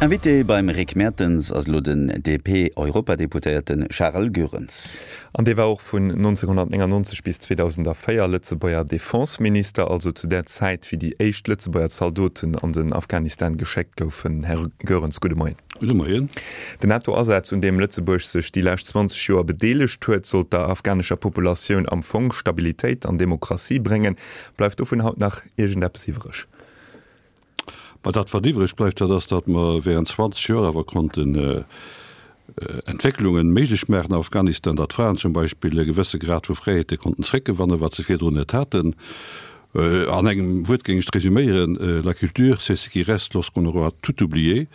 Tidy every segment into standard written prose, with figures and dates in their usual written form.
Invité beim Rick Mertens ass elo den DP-Europadeputéierte Charel Goerens. An dee war och vun 1999 bis 2004 Lëtzebuerger Defenseminister, also zu där Zäit, wéi déi éischt Lëtzebuerger Zaldoten an den Afghanistan geschéckt goufen. Här Goerens, gudde Moien. Gudde Moien. Den NATO-Asaz, un deem Lëtzebuerg sech déi lescht 20 Joer bedeelegt huet, sollt der afghanescher Populatioun am Fong Stabilitéit an Demokratie bréngen. Bleift dovun haut nach iergendeppes iwwreg? Ma dat, wat iwwreg bleift, dat ass, datt mer während 20 Joer awer konnten Entwécklungen méiglech maachen am Afghanistan, datt d'Fraen zum Beispill e gewësse Grad vu Fräiheete konnten zréckgewannen, wat se virdrun net haten. An engem Wuert géing ech et resüméieren, La culture, c'est ce qui reste lorsqu'on aura tout oublié.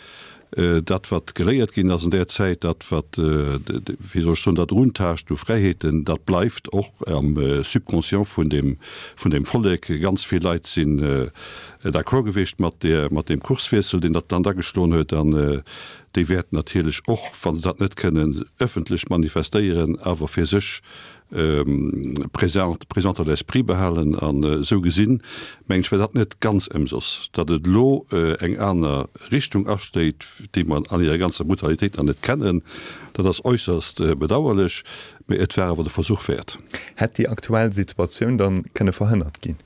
Dat, wat geléiert ginn ass an där Zäit, dat, wat, wéi soll ech soen, dat Eruntaascht u Fräiheeten, dat bleift och am Subconscient vun deem, vun deem Vollek. Ganz vill Leit sinn d'accord gewiescht mat där, mat deem Kurswiessel, deen dat Land ageschloen huet. An déi wäerten natierlech och, wa se dat net kënnen ëffentlech manifestéieren, awer fir sech présent, présent à l'esprit behalen. An esou gesinn, mengen ech, war dat net ganz ëmsoss, datt et elo eng aner Richtung astéit, déi mer an hirer ganzer Brutalitéit nach net kennen. Dat ass äusserst bedauerlech, mä et war awer de Versuch wäert. Hätt déi aktuell Situatioun dann kënne verhënnert ginn?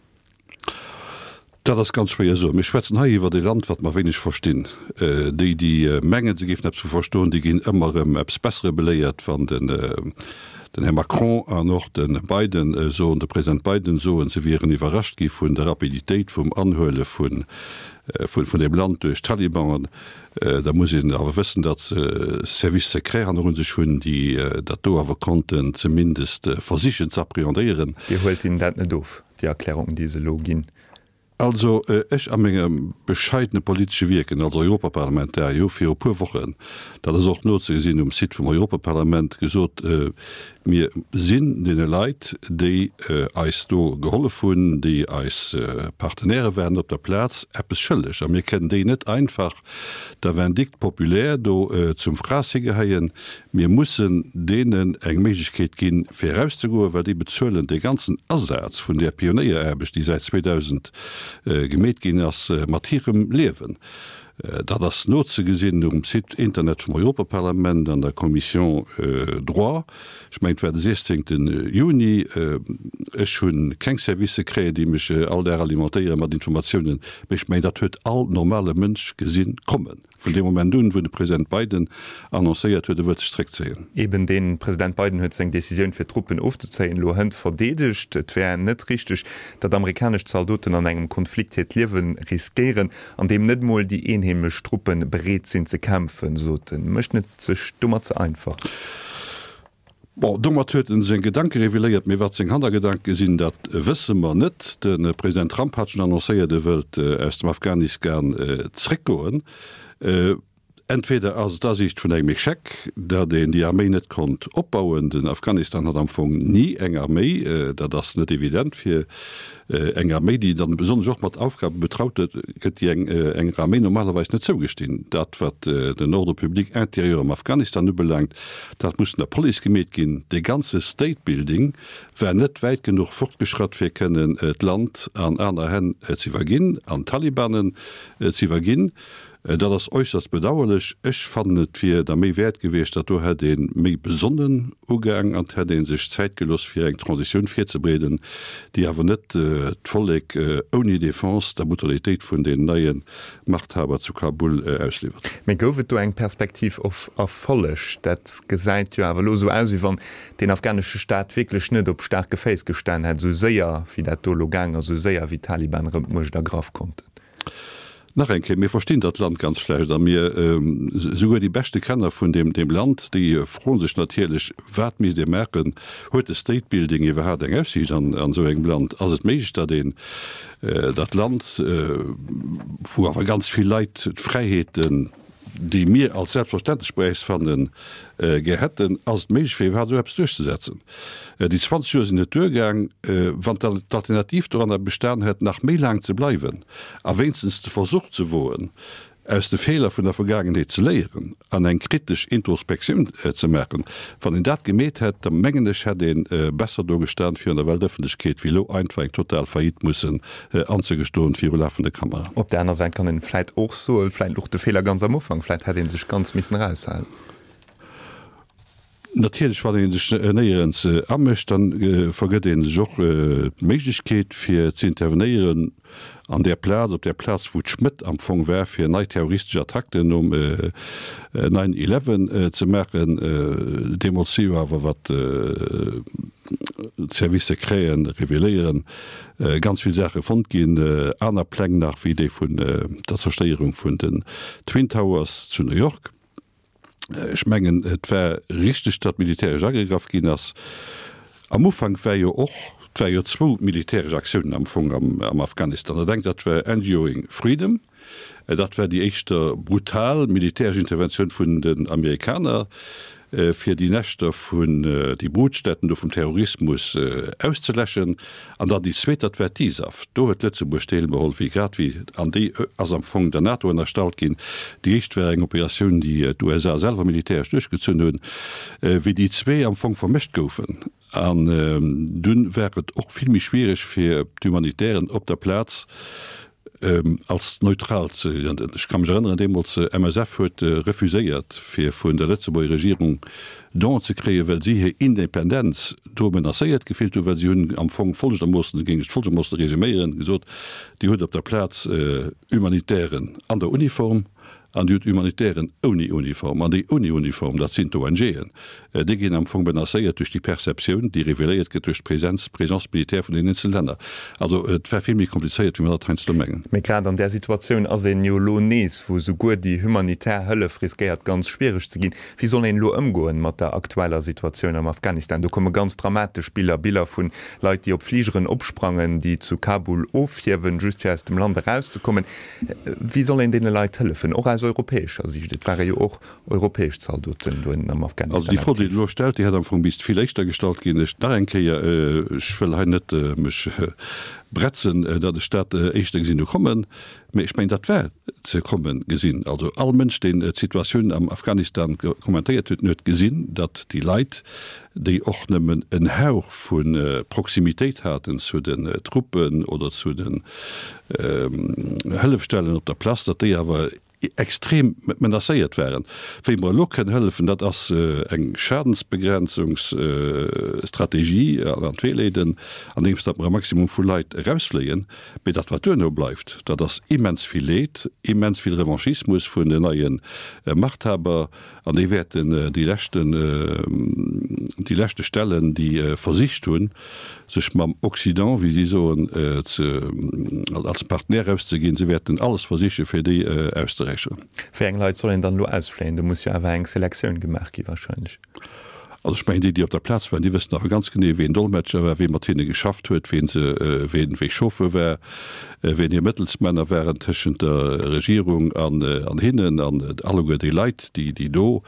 Dat ass ganz schwéier soen. Mir schwätzen hei iwwert e Land, wat mer wéineg verstinn. Déi, déi mengen, se géifen eppes vu verstoen, déi ginn ëmmer erëm eppes Bessere beléiert, wann den Här Macron an och de Biden soen, de President Biden soen, se wieren iwwerrascht gi vun der Rapiditéit vum Anhuele vun deem Land duerch d'Taliban. Da muss een awer wëssen, datt se Services secrets hannerun sech hunn, déi dat do awer konnten zumindest versichen ze appréhendéieren. Dir huelt hinnen dat net of? Déi Erklärungen, déi se elo ginn. Also ech a mengem bescheidene politesche Wierken als Europaparlamentarier hu viru puer Wochen, dat ass och nozegesinn um Site vum Europaparlament, gesot, Mir sinn deene Leit, déi eis do gehollef hunn, déi eis Partenaire waren op der Plaz, eppes schëlleg a mir kënnen déi net einfach der Vindicte populaire do zum Frass higeheien. Mir mussen deenen eng Méiglechkeet ginn, fir erauszegoen, well déi bezuelen dee ganzen Asaz vun där Pionéieraarbecht, déi säit 2000 gemeet ginn ass, mat hirem Liewen. Dat ass nozegesinn um Site Internet vum Europaparlament an der Commission Droit. Ech mengen, et war de 16. Juni. Ech hu keng Services secrets, déi mech all Dag alimentéiere mat Informatiounen, mee ech mengen, dat huet all normale Mënsch gesinn kommen. Vun deem Moment un, wou de President Biden annoncéiert huet, e wëllt sech zréckzéien. Eben dee President Biden huet seng Decisioun fir d'Truppen ofzezéien elo hënt verdeedegt. Et wär net richteg, datt amerikanesch Zaldoten an engem Konflikt hiert Liewe riskéieren, an deem net mol déi eenheemesch Truppe bereet sinn ze kämpfen, sot en. Mécht en et sech domat ze einfach? Bon, domat huet en seng Gedanke reveléiert, mee wat seng Hannergedanke sinn, dat wësse mer net. De President Trump hat schonn annoncéiert, e wëllt aus dem Afghanistan zréckgoen. Entweder ass et d'Asiicht vun engem Echec, datt een déi Arméi net konnt opbauen, den Afghanistan hat am Fong ni eng Arméi, dat ass net evident fir Eng Arméi, déi dann besonnesch och mat Aufgabe betraut gëtt, déi enger Arméi normalerweis net zougestinn. Dat, wat den Ordre public intérieur am Afghanistan ubelaangt, dat muss vun der Police gemeet ginn. Dee ganze State Building war net wäit genuch fortgeschratt, fir kënnen d'Land an aner Hänn ze iwwerginn, an d'Talibanen ze iwwerginn. Dat ass äusserst bedauerlech. Ech fannen, et wier der Méi wäert gewiescht, dat do hätt ee méi besonnen ugaang an et hätt ee sech Zäit gelooss, fir eng Transitioun virzebreeden, déi awer net d'Vollek ouni Defense der Brutalitéit vun den neie Machthaber zu Kabul ausliwwert. Mee gouf et do eng Perspektiv of Erfolleg? Dat gesäit jo awer elo esou aus, wéi wann deen afghanesche Staat wierklech net op staarke Féiss gestan hätt, esou séier wéi dat do elo gaang ass, esou séier wéi d'Taliban erëm d'Muecht ergraff konnten. Nach eng Kéier, mir verstinn dat Land ganz schlecht a mir, souguer déi beschte Kenner vun deem Land, déi froen sech natierlech, Wat misst ee maachen? Huet de State Building iwwerhaapt eng Aussiicht an esou engem Land? Ass et méiglech, datt een dat Land, wou awer ganz vill Leit d'Fräiheeten, déi mir als selbstverständlech bei äis fannen, gär hätten, ass et méiglech fir iwwerhaapt esou eppes duerchzesetzen. Déi 20 Joer sinn net duergaang. Wann d'Alternativ doranner bestan hätt, nach méi laang ze bleiwen a wéinstens de Versuch ze woen. Aus de Feeler vun der Vergaangenheet ze léieren an eng kritesch Introspektioun ze maachen. Wann een dat gemeet hätt, da mengen ech, hätt ee besser do gestan virun der Weltëffentlechkeet, wéi elo einfach eng total Faillite mussen anzegestoen viru lafende Kameraen. Op der aner Säit kann een vläit och soen, vläit louch de Feeler ganz am Ufank, vläit hätt ee sech ganz missen eraushalen. Natierlech, wann ee sech néierens amëscht, da vergëtt ee sech och d'Méiglechkeet fir ze intervenéieren an där Plaz, op där Plaz wou d'Schmëtt am Fong war, fir nei terroristesch Attacken nom Nine Eleven ze maachen. Deemools si jo awer, wat d'Services secreten reveléieren, ganz vill Saache fonnt ginn, aner Pläng nach wéi déi vun der Zerstéierung vun den Twin Towers zu New York. Ech mengen, et war richteg, datt militäresch agegraff ginn ass. Am Ufank war jo och, et ware jo zwou militäresch Aktiounen am Fong am Afghanistan. Dat engt, dat war Enduring Freedom, dat war déi éischter brutal militäresch Interventioun vun den Amerikaner, fir déi Näschter vun, déi Brutstätten do vum Terrorismus auszeläschen. An dann déi zweet, dat war d'ISAF. Do huet Lëtzebuerg deelgeholl, wéi grad wéi, an déi ass am Fong der NATO ënnerstallt ginn. Déi éischt war eng Operatioun, déi d'USA selwer militäresch duerchgezunn hunn, wéi déi zwee am Fong vermëscht goufen. An dunn war et och vill méi schwiereg fir d'Humanitären op der Plaz, als neutral ze grënnen. Ech ka mech erënneren, deemools, MSF huet refuséiert, fir vun der Lëtzebuerger Regierung Donen ze kréien, well si hir Independenz do menacéiert gefillt hunn, well si hunn am Fong folgendermoossen, géing ech et folgendermoossen resuméieren, gesot, Dir hutt op der Plaz Humanitären an der Uniform an Dir hutt Humanitären ouni Uniform. An déi ouni Uniform, dat sinn d'ONGen. Déi ginn am Fong menacéiert duerch déi Perceptioun, déi reveléiert gëtt duerch d'Präsenz, d'Présence militaire vun den eenzele Länner. Also et war vill méi komplizéiert, wéi mer dat heiansdo mengen. Mee grad an där Situatioun ass een jo elo nees, wou souguer déi humanitär Hëllef riskéiert ganz schwiereg ze ginn. Wéi soll een elo ëmgoen mat der aktueller Situatioun am Afghanistan? Do komme ganz dramatesch Biller, Biller vu Leit, déi op Fligeren opsprangen, déi zu Kabul ofhiewen, just fir aus dem Land erauszekommen. Wéi soll een deene Leit hëllefen, och aus europäescher Siicht? Et ware jo och europäesch Zaldoten do ënnen am Afghanistan aktiv. Also déi Fro, déi Der elo stellt, déi hätt am Fong misst vill éischter gestallt ginn. Ech, nach eng Kéier, ech wëll hei net mech bretzen, datt ech dat éischter gesinn hu kommen, mä ech mengen, dat war ze komme gesinn. Also all Mënsch, deen d'Situatioun am Afghanistan kommentéiert huet, den huet gesinn, datt déi Leit, déi och nëmmen en Hauch vu Proximitéit haten zu den Truppen oder zu den Hëllefstellen op der Place, datt déi awer extrem menacéiert waren. Wéi mer elo kënnen hëllefen, dat ass eng Schadensbegrenzungsstrategie an d'Wee leeden, andeems datt mer e Maximum vu Leit erausfléien. Mee dat wat duerno bleift, dat ass immens vill Leed, immens vill Revanchismus vun den neie Machthaber, An déi wäerten déi leschten, déi leschte Stellen, déi versicht hunn, sech mam Occident, wéi si soen, ze, als Partenaire auszeginn, se wäerten alles versichen, fir déi auszeräicheren. Wéi eng Leit soll een dann elo ausfléien? Do muss jo awer eng Selektioun gemaach gi wahrscheinlech. Also ech mengen, déi, déi op der Plaz waren, déi wëssen awer ganz genee, ween Dolmetscher war, wee mat hinne geschafft huet, ween se, ween, wee Chauffeur war, ween hir Mëttelsmänner waren tëschent der Regierung an, an hinnen an alleguer déi Leit, déi, déi do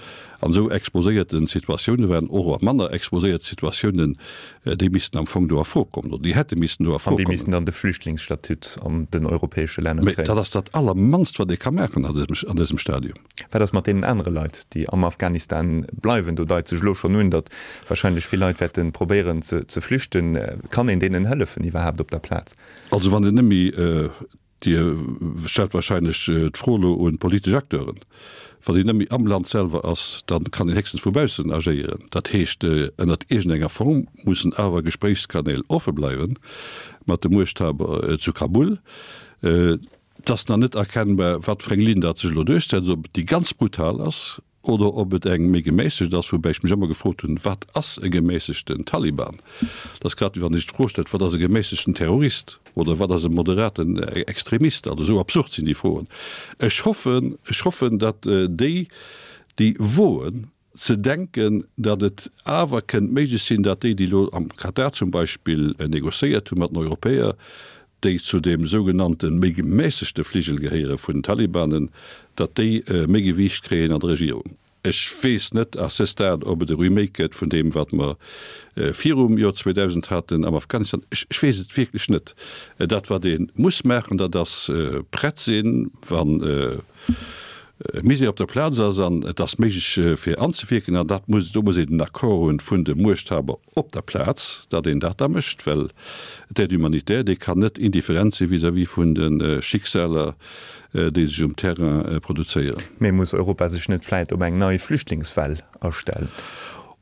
an esou exposéierte Situatioune waren, och a manner exposéierte Situatiounen, déi missten am Fong do a Fro kommen oder déi hätte missten do a Fro kommen. An déi missten dann de Flüchtlingsstatut an den europäesche Länner kréien. Mä dat ass dat Allermannst, wat ee ka maachen an dësem, an dësem Stadium. Wat ass mat deenen anere Leit, déi am Afghanistan bleiwen? Do deit sech elo schonn un, datt wahrscheinlech vill Leit wäerte probéieren ze flüchten. Kann een deenen hëllefen iwwerhaapt op der Plaz? Also wann een net méi, Dir stellt wahrscheinlech d'Fro elo un d'politesch Acteuren, wann een net méi am Land selwer ass, da kann een héchstens vu baussen agéieren. Dat heescht, ënnert iergendenger Form mussen awer Gespréichskanäl offe bleiwe mat de Muechthaber zu Kabul. Et ass nach net erkennbar, wat fir eng Linn dat sech elo duerchsetzt, ob et déi ganz brutal ass oder ob et eng méi gemässegt ass, woubäi ech mech ëmmer gefrot hunn, Wat ass e gemässegten Taliban? Dat ass grad wéi wann ee sech d'Fro stellt, Wat ass e gemässegten Terrorist oder wat ass e moderaten Extremist? Also esou absurd sinn déi Froen. Ech hoffen, ech hoffen, datt déi, déi woen, ze denken, datt et awer kënnt méiglech sinn, datt déi, déi elo am Katar zum Beispill négociéiert hu mat den Europäer, déi zu deem sougenannte méi gemässegte Fligel gehéiere vun den Talibanen, datt déi méi Gewiicht kréien an der Regierung. Ech weess net à ce stade, ob et e Remake gëtt vun deem, wat mer virum Joer 2000 haten am Afghanistan. Ech weess et wierklech net. Dat, wat ee muss maachen, dat ass prett sinn, wann e Misär op der Plaz ass an et ass méiglech fir anzewierken. An dat muss, do muss een den Accord hunn vun de Muechthaber op der Plaz, datt een dat da mécht, well d'Aide humanitaire, déi kann net indifferent si vis-à-vis vun de Schicksaler, déi sech um Terrain produzéieren. Mee muss Europa sech net vläit op eng nei Flüchtlingswell astellen?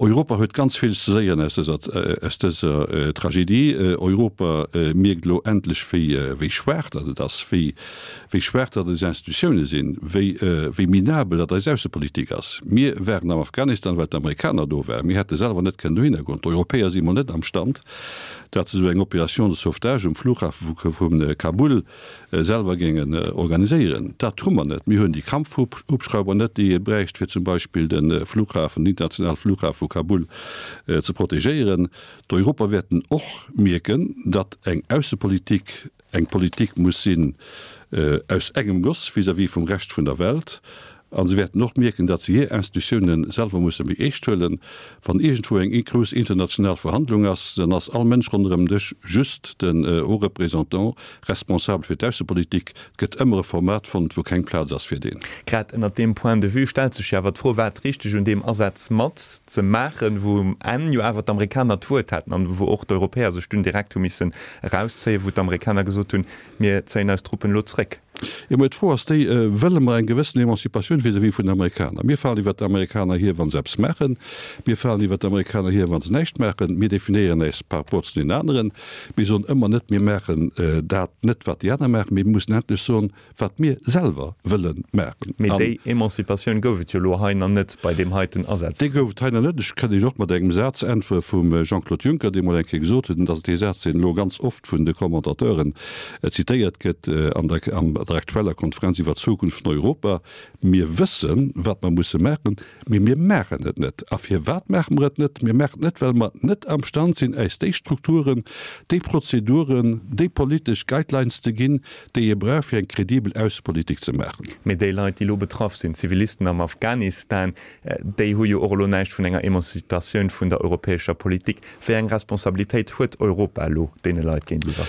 Europa huet ganz vill ze léieren aus dëser, aus dëser Tragedie. Europa mierkt elo endlech, wéi, wéi schwaach datt et ass, wéi, wéi schwaach datt eis Institutioune sinn, wéi, wéi minabel datt eis Aussepolitik ass. Mir waren am Afghanistan, well d'Amerikaner do waren. Mir hätte selwer net kënnen dohinner goen. D'Europäer si mol net am Stand, datt se esou eng Opération de sauvetage um Flughafe vu, vu Kabul selwer géingen organiséieren. Dat hu mer net. Mir hunn déi Kampfhubschrauber net, déi ee bräicht, fir zum Beispill de Flughafen, den internationale Flughafe vu Kabul ze protegéieren. D'Europer wäerten och mierken, datt eng Aussepolitik eng Politik muss sinn aus engem Goss vis-à-vis vum Rescht vun der Welt. A se wäerten och mierken, datt se hir Institutiounen selwer musse méi eescht huelen. Wann iergendwou eng grouss international Verhandlung ass, dann ass all Mënsch ronderëm Dësch just den Haut Représentant responsabel fir d'Aussepolitik. Et gëtt ëmmer e Format fonnt, wou keng Plaz ass fir deen. Grad ënnert deem Point de vue stellt sech jo awer d'Fro, War et richteg, un deem Asaz mat ze maachen, wou um Enn jo awer d'Amerikaner d'Wuert haten an wou och d'Europäer sech dunn direkt hu missen erauszéien, wou d'Amerikaner gesot hunn, Mir zéien eis Truppen elo zréck? Jo, mä d'Fro ass déi, Wëlle mer eng gewëssen Emanzipatioun vis-à-vis vun den Amerikaner? Mir falen iwwert d'Amerikaner hier, wa se eppes maachen. Mir falen iwwert d'Amerikaner hier, wa se näischt maachen. Mir definéieren äis par rapport zu deenen aneren. Mir soen ëmmer net, mir maachen dat net, wat déi aner maachen. Mee mir mussen endlech soen, wat mir selwer wëlle maachen. Mee déi Emanzipatioun gouf et jo elo hei nach net bei deem heiten Asaz. Déi gouf et hei nach net. Ech kënnt Iech och mat engem Saz äntwere vum Jean-Claude Juncker, dee mol eng Kéier gesot huet, an dat ass dee Saz, deen elo ganz oft vun de Commentateuren zitéiert gëtt an der an der aktueller Konferenz iwwer d'Zukunft vun Europa, Mir wëssen, wat mer musse maachen, mee mir maachen et net. A firwat maache mer et net? Mir maachen et net, well mer net amstand sinn, äis déi Strukturen, déi Prozeduren, déi politesch Guidelines ze ginn, déi ee brauch, fir eng kredibel Aussepolitik ze maachen. Mee déi Leit, déi elo betraff sinn, d'Zivilisten am Afghanistan, déi hu jo och elo näischt vun enger Emanzipatioun vun der europäescher Politik. Wéi eng Responsabilitéit huet Europa elo deene Leit géintiwwer?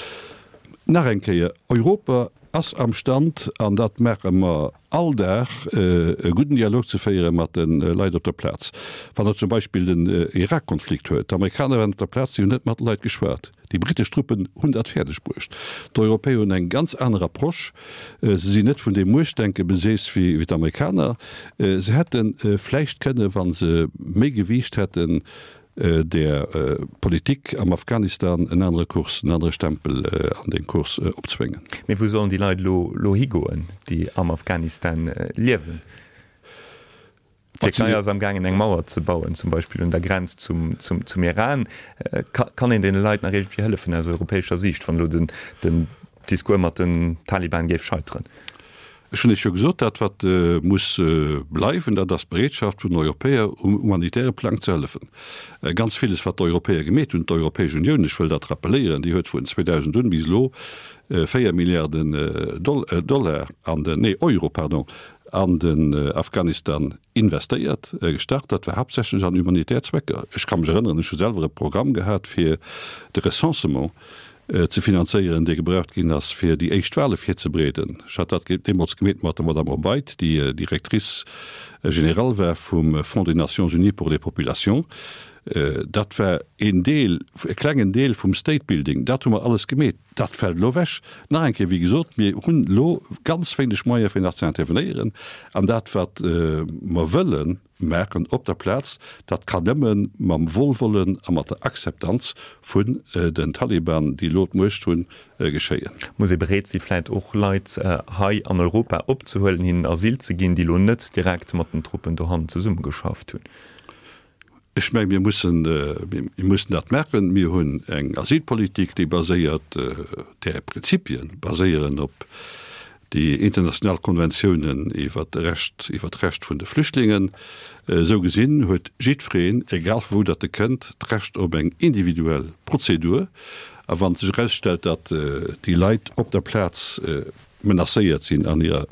Nach eng Kéier, Europa ass am Stand, an dat maache mer all Dag, e gudden Dialog ze féiere mat de Leit op der Plaz. Wann Der zum Beispill den Irak-Konflikt huet, d'Amerikaner waren op der Plaz, si hunn net mat de Leit geschwat. Déi britesch Truppen hunn dat fäerdeg bruecht. D'Europäer hunn eng ganz aner Approche. Se sinn net vun deem Muechtdenke beseess wéi d'Amerikaner. Se hätte vläicht kënne, wa se méi Gewiicht hätten, der Politik am Afghanistan en anere Kurs, en anere Stempel an dee Kurs opzwéngen. Mee wou sollen déi Leit elo elo higoen, déi am Afghanistan liewen? D'Tierkei ass am gaangen eng Mauer ze bauen, zum Beispill un der Grenz zum zum Iran. Kann een deene Leit nach iergendwéi hëllefen aus europäescher Siicht, wann elo den den Discours mat den Taliban géif scheiteren? Ech hunn Iech jo gesot, dat wat muss bleiwen, dat ass d'Bereetschaft vun den Europäer um humanitäre Plang ze hëllefen. Ganz villes wat d'Europäer gemeet hunn, d'Europäesch Unioun, ech wëll dat rappeléieren, déi huet vun 2000 un bis elo 4 Milliarden Dollar an den, nee Euro, pardon, an den Afghanistan investéiert, gestart. Dat war haaptsächlech an humanitär Zwecker. Ech ka mech erënneren, ech hu selwer e Programm gehat fir de Recensement ze finanzéieren, dee gebraucht ginn ass, fir déi éischt Wahle virzebereeden. Ech hat dat deemools gemeet mat der Madame Obeid, déi Directrice générale war vum Fonds des Nations Unies pour les populations. Dat war een Deel, e klengen Deel vum State Building. Dat hu mer alles gemeet. Dat fält elo ewech. Nach eng Kéier, wéi gesot, mir hunn elo ganz wéineg Moyene fir nach ze intervenéieren. An dat, wat mer wëllen, maachen op der Plaz, dat kann nëmme mam Wohlwollen a mat der Akzeptanz vun den Taliban, déi elo d'Muecht hunn, geschéien. Muss ee bereet si vläit och Leit hei an Europa opzehuelen, hinnen Asyl ze ginn, déi elo net direkt mat den Truppen dohannen zesummegeschafft hunn? Ech menge mir mussen, mir mussen dat maachen. Mir hunn eng Asylpolitik, déi baséiert, där Prinzipie baséieren op déi international Konventiounen iwwer de Recht, iwwer d'Recht vun de Flüchtlingen. Esou gesinn huet jiddwereen, egal vu wou datt e kënnt, d'Recht op eng individuell Prozedur. A wann sech erausstellt, datt déi Leit op der Plaz menacéiert sinn an hirer.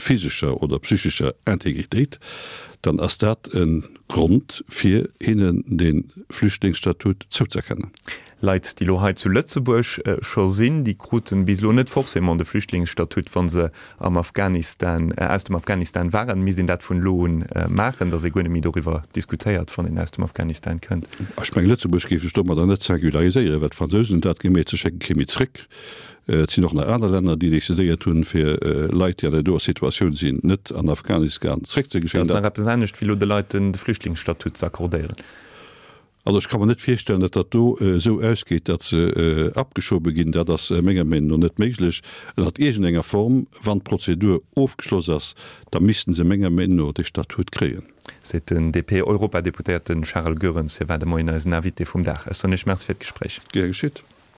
physescher oder psychescher Integritéit, dann ass dat e Grond fir hinnen de Flüchtlingsstatut zouzerkennen. Leit, déi elo hei zu Lëtzebuerg scho sinn, déi kruten bis elo net forcément de Flüchtlingsstatut, wa se am Afghanistan, aus dem Afghanistan waren. Misst een dat vun elo un maachen, datt ee guer net méi doriwwer diskutéiert, wann een aus dem Afghanistan kënnt? Ech mengen, Lëtzebuerg géif sech domadder net singulariséieren, well d'Fransousen hunn dat gemeet, se schécke kee méi zréck. Et sinn och nach aner Länner, déi decidéiert hunn, fir Leit, déi an där doer Situatioun sinn, net an Afghanistan zréckzegeschéien. Dat ass nach eppes anescht, wéi elo de Leit de Flüchtlingsstatut ze accordéieren. Also ech ka mer net virstellen, datt dat do esou ausgeet, datt se abgeschobe ginn. Dat ass menger Meenung no net méiglech. Ënnert iergendenger Form, wann d'Prozedur ofgeschloss ass, da missten se menger Meenung no dee Statut kréien. Seet den DP-Europadeputéierte Charel Goerens. Hie war de Moien eisen Invité vum Dag. Ech soen Iech Merci fir d'Gespréich. Gär geschitt.